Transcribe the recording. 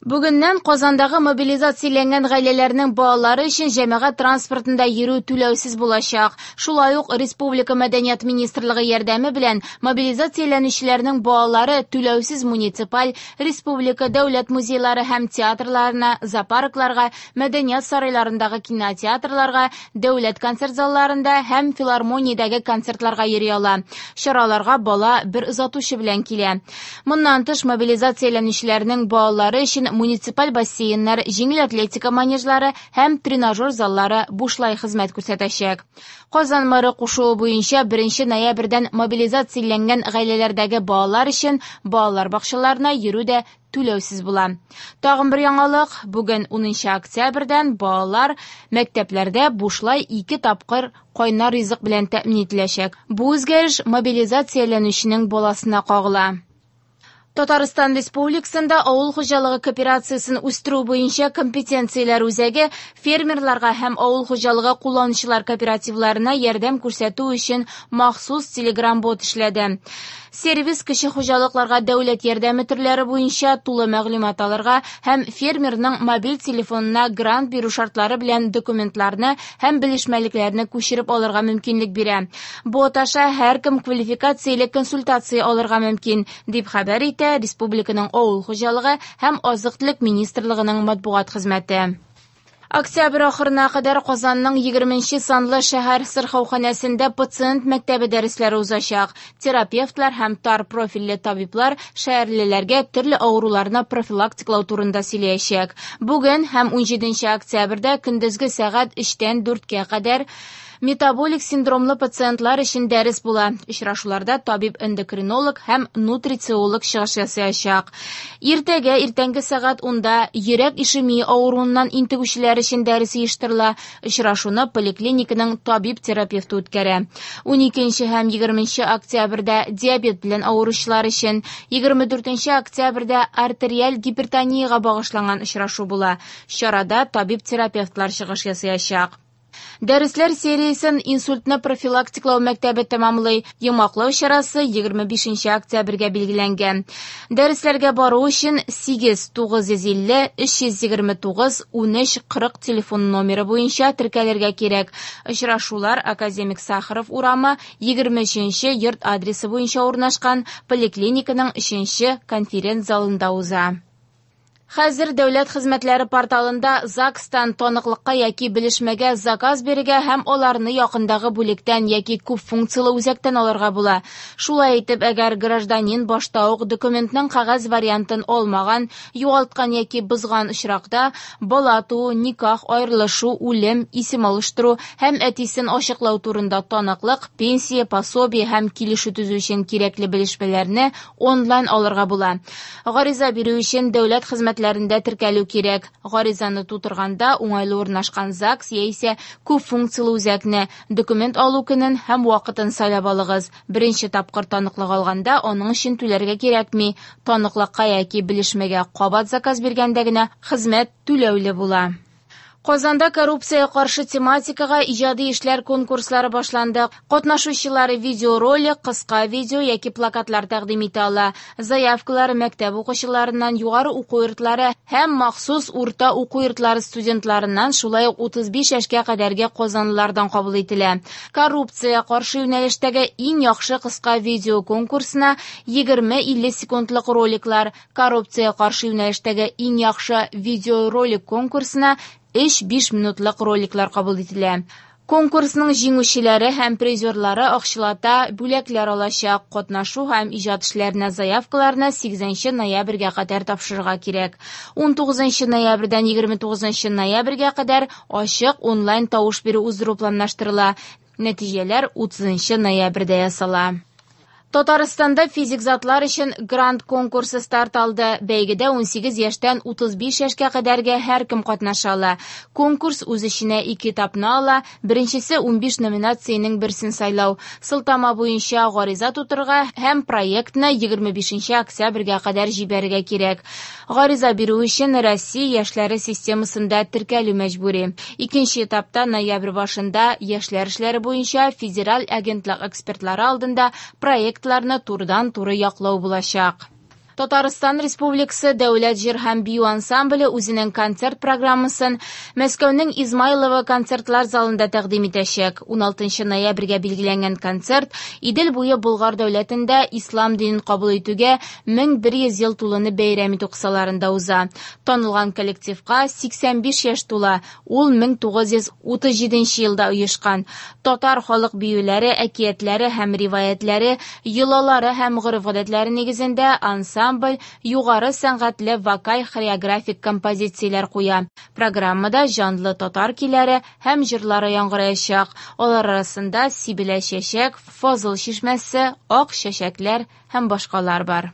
Бүгеннән Казандагы мобилизацияләнгән гаиләләрнең балалары өчен җәмәгать транспортында йөрү түләүсез булачак. Шулай ук республика Мәдәният министрлыгы ярдәме белән мобилизацияләнүчеләрнең балалары түләүсез муниципаль, республика, дәүләт музейлары һәм театрларына, зоопаркларга, мәдәният сарайларындагы кинотеатрларга, дәүләт концерт залларында һәм филармониядәге концертларга йөри ала. Чараларга бала бер озатучы белән килә. Моннан тыш, мобилизацияләнүчеләрнең балалары өчен муниципаль бассейннар, җиңел атлетика манежлары һәм тренажер заллары бушлай хезмәт күрсәтәчәк. Казан мэры кушуы буенча 1 ноябрьдән мобилизацияләнгән гаиләләрдәге балалар өчен балалар бакчаларына йөрү дә түләүсез була. Тагын бер яңалык, бүген 10 октябрьдән балалар мәктәпләрдә бушлай 2 тапкыр кайнар ризык белән тәэмин ителәчәк. Бу үзгәреш мобилизацияләнүченең баласына кагыла. Татарстан Республикасында авыл хуҗалыгы кооперациясен үстерү буенча компетенцияләр үзәге фермерларга һәм авыл хуҗалыгы кулланучылар кооперативларына ярдәм күрсәтү өчен махсус телеграм-бот эшләде. Сервис кече хуҗалыкларга дәүләт ярдәме төрләре буенча тулы мәгълүмат алырга һәм фермерның мобиль телефонына грант бирү шартлары белән документларны һәм белешмәлекләрне күчереп алырга мөмкинлек бирә. Бот аша һәркем квалификацияле консультация алырга мөмкин, дип хәбәр итә республиканың авыл хуҗалыгы һәм азык-төлек министрлыгының матбугат хезмәте. Октябрь ахырына кадәр Казанның 20 санлы шәһәр сырхауханәсендә пациент мәктәбе дәресләре узачак. Терапевтлар һәм тар профильле табиблар шәһәрлеләргә төрле авыруларны профилактиклау турында сөйләячәк. Бүген һәм 17 октябрьдә көндезге сәгать 3-тән 4-кә кадәр метаболик синдромлы пациентлар өчен дәрес була. Очрашуларда табиб-эндокринолог һәм нутрициолог чыгыш ясаячак. Иртәгә иртәнге сәгать 10-да йөрәк ишемия авыруыннан интегүчеләр өчен дәрес оештырыла. Очрашуны поликлиниканың табиб-терапевты үткәрә. 12 һәм 20 октябрьдә диабет белән авыручылар өчен, 24 октябрьдә артериаль гипертониягә багышланган очрашу була. Чарада табиб-терапевтлар чыгыш ясаячак. Дәресләр сериясен инсультны профилактиклау мәктәбе тәмамлый. Йомгаклау чарасы 25 октябрьгә билгеләнгән. Дәресләргә бару өчен 8 950 329 13 40 телефон номеры буенча теркәлергә кирәк. Очрашулар Академик Сахаров урамы 23 йорт адресы буенча урнашкан поликлиниканың 3 конференц-залында уза. Хәзер дәүләт хезмәтләре порталында ЗАГСтан таныклыкка яки белешмәгә заказ бирергә һәм аларны якындагы бүлектән яки күп функцияле үзәктән алырга була. Шулай итеп, әгәр гражданин башта ук документның кәгазь вариантын алмаган, югалткан яки бозган очракта, бала туу, никах, аерылышу, үлем, исем алыштыру һәм әтисен ачыклау турында таныклык, пенсия, пособие һәм килешү төзү өчен кирәкле белешмәләрне онлайн алырга була. Гариза бирү өчен дәүләт хезмәтләрендә теркәлү кирәк. Гаризаны тутырганда уңайлы урнашкан ЗАГС яисә күп функцияле үзәкне, документ алу көнен һәм вакытын сайлап алыгыз. Беренче тапкыр таныклык алганда аның өчен түләргә кирәкми. Таныклыкка яки белешмәгә кабат заказ биргәндә генә хезмәт түләүле була. Казанда коррупция каршы тематикага иҗади эшләр конкурслары башланды. Катнашучылар видеоролик, кыска видео яки плакатлар тәкъдим итә ала. Заявкалар мәктәп укучыларыннан, югары уку йортлары һәм махсус урта уку йортлары студентларыннан, шулай ук 35 яшькә кадәрге казанлылардан кабул ителә. Коррупция каршы юнәлештәге иң яхшы кыска видео конкурсына 20-50 секундлык роликлар, коррупция каршы юнәлештәге иң яхшы видеоролик конкурсына 3-5 минутлык роликлар кабул ителә. Конкурсның җиңүчеләре һәм призерлары акчалата бүләкләр алачак. Катнашу һәм иҗат эшләренә заявкаларны 8 ноябрьгә кадәр тапшырырга кирәк. 19 ноябрьдән 29 ноябрьгә кадәр ачык онлайн тавыш бирү уздыру планлаштырыла. Нәтиҗәләр 30 ноябрьдә ясала. Татарстанда физик затлар өчен грант конкурсы старт алды. Бәйгедә 18 яшьтән 35 яшькә кадәрге һәркем катнаша ала. Конкурс үз эченә ике этапны ала. Беренчесе 15 номинациянең берсен сайлау. Сылтама буенча гариза тутырырга һәм проектны 25 октябрьгә кадәр җибәрергә кирәк. Гариза бирү өчен Россия яшьләре системасында теркәлү мәҗбүри. Икенче этапта ноябрь башында яшьләр эшләре буенча федераль агентлык экспертлары алдында проектларны турыдан-туры яклау булачак. Татарстан Республикасы Дәүләт җыр һәм бию ансамбле үзенең концерт программасын Мәскәүнең Измайлово концертлар залында тәкъдим итәчәк. 16 ноябрьгә билгеләнгән концерт Идел буе Болгар дәүләтендә ислам динен кабул итүгә 1100 ел тулуны бәйрәм итү кысаларында уза. Танылган коллективка 85 яшь тула, ул 1937 елда оешкан. Татар халык биюләре, әкиятләре һәм риваятьләре, йолалары һәм гореф-гадәтләре нигезендә ансамбль югары сәнгатьле вокаль-хореографик композицияләр куя. Программада җанлы татар көйләре һәм җырлары яңгыраячак. Алар арасында «Сибелә чәчәк», «Фазыл чишмәсе», «Ак чәчәкләр» һәм башкалар бар.